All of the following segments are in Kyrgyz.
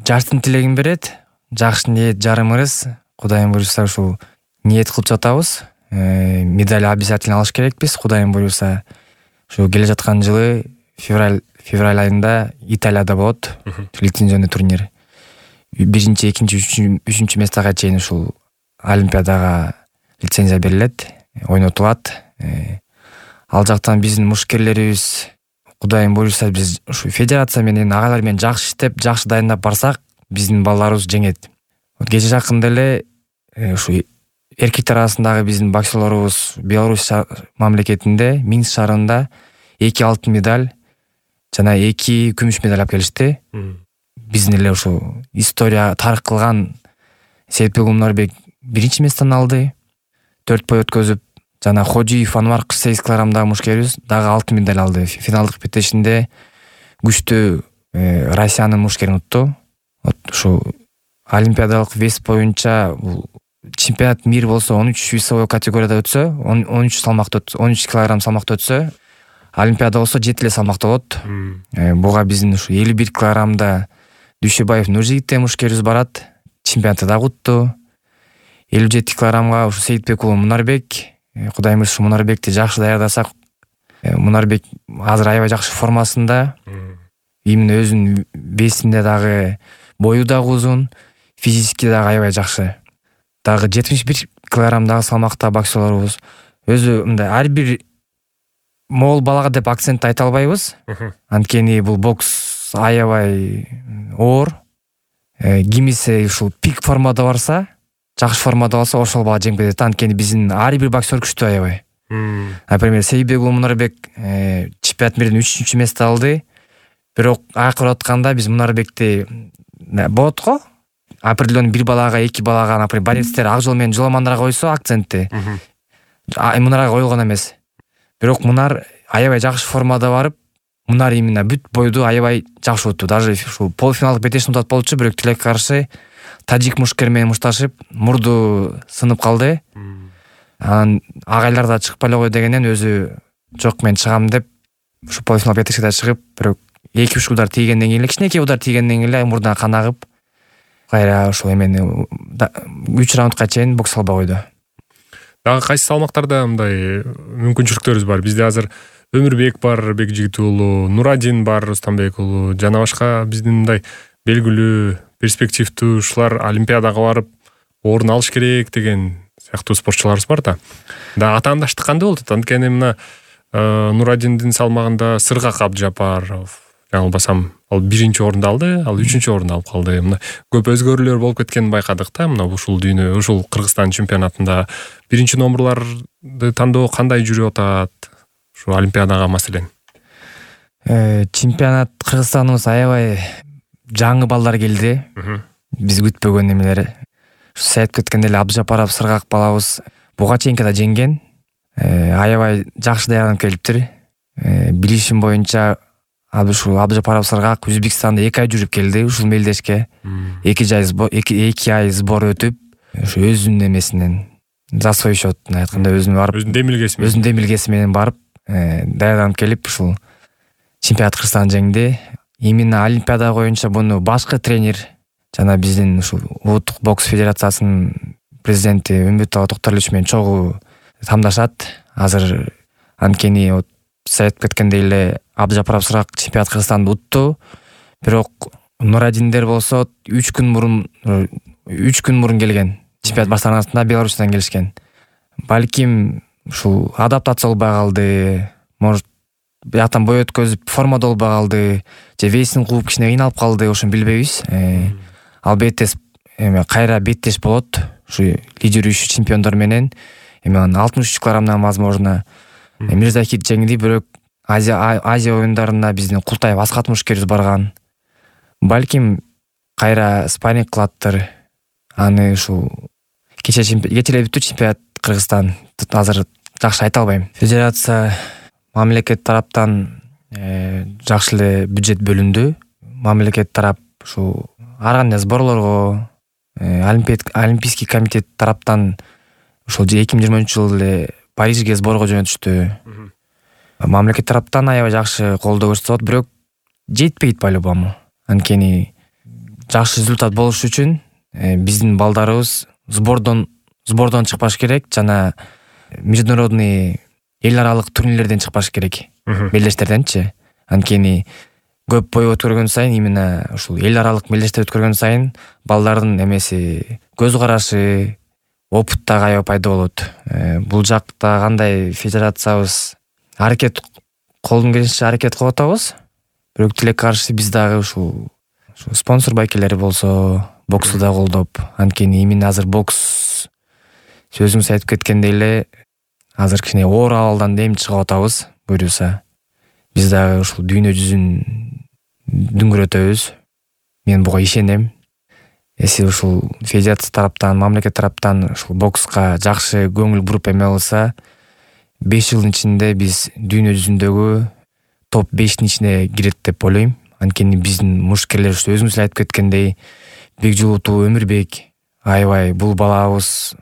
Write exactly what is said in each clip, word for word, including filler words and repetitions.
жаштын тилегин берет. Жакшы ниет жарым ырыс. Кудайым буйруса ушул ниет кылып жатабыз. Медаль обязательно алыш керекпиз. Кудайым буйруса ушу келе жаткан жылы февраль февраль айында Италияда болот лицензионный турнир. Биринчи, экинчи, үчүнчү местага чейин ушул Олимпиадага лицензия берилет, ойнотулат. Ал жактан биздин мушкерлерибиз Кудайым буйруса биз ушу федерация менен агалар менен жакшы иштеп, жакшы дайындап барсак, биздин балдарыбыз жеңет. Кече жакында эле ушу эркектер арасындагы биздин боксерлорубуз Беларусь мамлекетинде Минск шаарында эки алтын медаль жана эки күмүш медаль алып келишти. Биздин эле ушу история тарых кылган Сейитбек Умарбек биринчи месттен алды. төрт бой өткөзүп, жана Ходиев Анвар кырк сегиз килограммдагы мушкерибиз дагы алтын медаль алды. Финалдык беттешинде күчтүү Россиянын мушкерин утту. Ушу олимпиадалык вес боюнча бул чемпионат мир болсо он үч весовой категорияда өтсө, он үч салмакта он үч килограмм салмакта өтсө, олимпиада болсо жети эле салмакта болот. Буга биздин ушу элүү бир килограммда Дүйшөбаев Нуржигит мушкерибиз барат. Чемпионатты дагы утту. элүү жети килограммга ушу Сейитбек уулу Мунарбек. Кудайым ушу Мунарбекти жакшы даярдасак, Мунарбек азыр аябай жакшы формасында. Именно өзүнүн весинде дагы бою дагы узун, физически дагы аябай жакшы. Дагы жетимиш бир килограммдагы салмакта боксерлорубуз өзү мындай ар бир могул балага деп акцент айта албайбыз. Анткени бул бокс аябай оор. Кимиси ушул пик формада барса, жакшы формада болсо ошол бала жеңип кетет. Анткени биздин ар бир боксер күчтүү аябай. Например, Сейитбек уулу Мунарбек чемпионат мирден үчүнчү место алды. Бирок акыры атканда биз Мунарбекти болот го. Определенный бир балага, эки балага, например, борецтер ак жол менен жоламандарга койсо акцентти. Мунарга коюлган эмес. Бирок Мунар аябай жакшы формада барып, Мунар именно бүт бойду аябай жакшы утту. Даже ушул полуфиналдык бетешин утат болчу, бирок тилекке каршы тажик мушкер менен мушташып, мурду сынып калды. Анан агайлар да чыгып эле кой дегенден өзү жок мен чыгам деп ушу полуфинал бетешке чыгып, бирок эки үч удар тийгенден кийин эле, кичинекей удар тийгенден кийин эле мурдуна кан агып, кайра ошол эмени үч раундка чейин бокс албай койду. Дагы кайсы салмактарда мындай мүмкүнчүлүктөрүбүз бар? Бизде азыр Өмүрбек бар, Бекжигит уулу, Нурадин бар, Рустамбек уулу, жана башка биздин мындай белгилүү, перспективдүү ушулар олимпиадага барып орун алыш керек деген сыяктуу спортчуларыбыз бар да. Да атаандаштык кандай болот? Анткени мына Нурадиндин салмагында Сыргак Абдыжапаров, жаңылбасам, ал биринчи орунду алды, ал үчүнчү орунду алып калды. Мына көп өзгөрүүлөр болуп кеткенин байкадык да. Мына ушул дүйнө, ушул Кыргызстан чемпионатында биринчи номерларды тандоо кандай жүрүп атат? Ушу олимпиадага маселен. Чемпионат Кыргызстаныбыз аябай жаңы балдар келди. Биз күтпөгөн эмелер. Ушу айтып кеткендей эле Абдыжапаров, Сыргак балабыз буга чейинки да жеңген. Аябай жакшы даярданып келиптир. Билишим боюнча ушул Абдыжапаров, Сыргак Өзбекстанда эки ай жүрүп келди ушул мелдешке. эки ай сбор өтүп, ушу өзүнүн эмесинен за свой счет айтканда өзүнүн барып, өзүнүн демилгеси менен, өзүнүн демилгеси менен барып, даярданып келип ушул чемпионат Кыргызстан жеңди. Именно олимпиада боюнча буну башкы тренер жана биздин ушул улуттук бокс федерациясынын президенти Үмбөталы Токторлович менен чогуу тамдашат. Азыр анткени айтып кеткендей эле Абдыжапаров, Сыргак чемпионат Кыргызстанды утту. Бирок Нурадиндер болсо үч күн мурун үч күн мурун келген. Чемпионат башталганда Беларусьтан келишкен. Балким ушул адаптация болбой калды. Может, бияктан бой өткөзүп формада болбой калды, же весин кууп кичине кыйналып калды, ошону билбейбиз. Албетте эме кайра беттеш болот. Ушу лидирующий чемпиондор менен эми алтымыш үч килограммдан возможно Мирзахит жеңди, бирок Азия Азия оюндарына биздин Култаев Аскат мушкерибиз барган. Балким кайра спарринг кылаттыр. Аны ушул кече кече бүттү чемпионат Кыргызстан. Азыр жакшы айта албайм. Федерация мамлекет тараптан жакшы эле бюджет бөлүндү. Мамлекет тарап ушул ар кандай сборлорго, Олимпийский комитет тараптан ушул эки миң жыйырманчы жылы эле Парижге сборго жөнөтүштү. Мамлекет тараптан аябай жакшы колдоо көрсөтүп, бирок жетпейт по-любому. Анткени жакшы результат болуш үчүн биздин балдарыбыз сбордон сбордон чыкпаш керек жана международный эл аралык турнирлерден чыкпаш керек, мелдештерденчи. Анткени көп бой өткөргөн сайын, именно ушул эл аралык мелдештер өткөргөн сайын балдардын эмеси, көз карашы, опыт да аябай пайда болот. Бул жакта кандай федерациябыз аракет, колдон келишинче аракет кылып атабыз. Бирок тилекке каршы биз дагы ушул спонсор байкелери болсо, боксту да колдоп, анткени именно азыр бокс сөзүңүз айтып кеткендей эле азыр кичине оор абалдан дем чыгып атабыз. Буюрса биз дагы ушул дүйнө жүзүн дүңгүрөтөбүз. Мен буга ишенем. Эси ушул федерация тараптан, мамлекет тараптан ушул бокска жакшы көңүл буруп эме кылса, беш жылдын ичинде биз дүйнө жүзүндөгү топ бештин ичине кирет деп ойлойм. Анткени биздин мушкерлер өзүңүз эле айтып кеткендей, Бекжулутов, Өмүрбек, аябай бул балабыз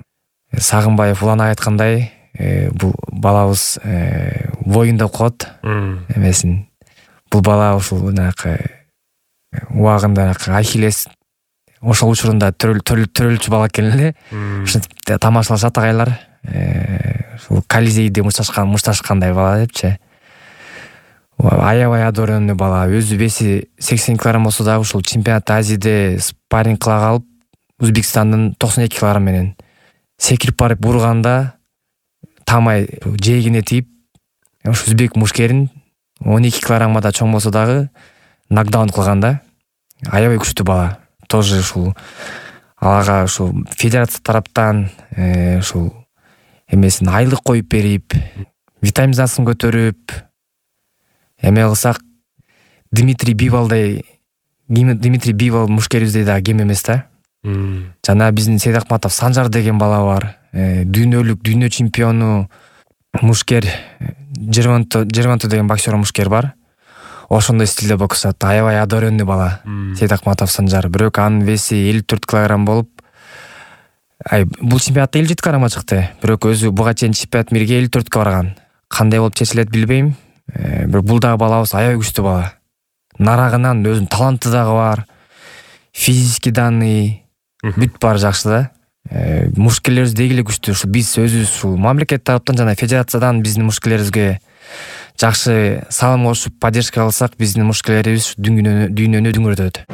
Сагынбаев улан айткандай, бул балабыз воюнда коет эмесин. Бул бала ушул жанакы убагында Ахиллес ошол учурунда төрөлчү бала экен эле. Ушинтип тамашалашат агайлар. Ушул Колизейде мушташкан, мушташкандай бала депчи. Аябай адоренный бала. Өзү веси сексен килограмм болсо дагы ушул чемпионат Азияда спарринг кыла калып, Өзбекстандын токсон эки килограмм менен секирип барып урганда тамай жээгине тийип, ушу өзбек мушкерин он эки килограммга да чоң болсо дагы нокдаун кылган да. Аябай күчтүү бала. Тоже ушул ага ушул федерация тараптан ушул эмесин айлык коюп берип, витаминизациясын көтөрүп эме кылсак, Дмитрий Бивалдай, Дмитрий Бивал мушкерибиздей дагы кем эмес да. Жана биздин Сейдахматов Санжар деген бала бар. Дүйнөлүк, дүйнө чемпиону мушкер, Жерванту деген боксер мушкер бар. Ошондой стилде боксат. Аябай адоренный бала. Сейдахматов Санжар. Бирок анын веси элүү төрт килограмм болуп, ай бул чемпионатта элүү жети килограммга чыкты. Бирок өзү буга чейин чемпионат мирге элүү төрткө барган. Кандай болуп чечилет билбейм. Бирок бул дагы балабыз аябай күчтүү бала. Нарагынан өзүнүн таланты дагы бар. Физический данный бүт бар жакшы да. Мушкерлерибиз деги эле күчтүү. Ушул биз өзүбүз ушул мамлекет тараптан жана федерациядан биздин мушкерлерибизге жакшы салым кошуп, поддержка кылсак, биздин мушкерлерибиз дүйнөнү дүйнөнү дүңгүрөтөт.